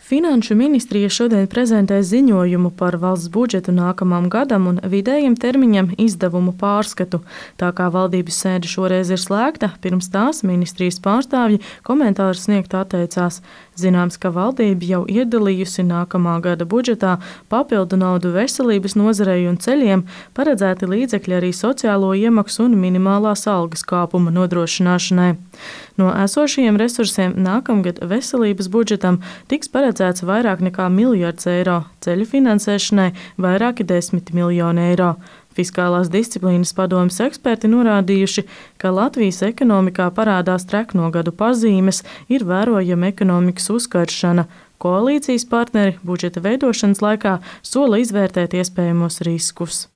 Finanšu ministrija šodien prezentē ziņojumu par valsts budžetu nākamam gadam un vidējiem termiņam izdevumu pārskatu. Tā kā valdības sēde šoreiz ir slēgta, pirms tās ministrijas pārstāvji komentārus sniegt atteicās. Zināms, ka valdība jau iedalījusi nākamā gada budžetā papildu naudu veselības nozarei un ceļiem, paredzēti līdzekļi arī sociālo iemaksu un minimālās algas kāpuma nodrošināšanai. No esošajiem resursiem nākamgad veselības budžetam tiks paredzēts vairāk nekā 1 miljards eiro, ceļu finansēšanai vairāki 10 miljoni eiro. Fiskālās disciplīnas padomes eksperti norādījuši, ka Latvijas ekonomikā parādās trekno gadu pazīmes, ir vērojama ekonomikas uzkaršana. Koalīcijas partneri budžeta veidošanas laikā sola izvērtēt iespējamos riskus.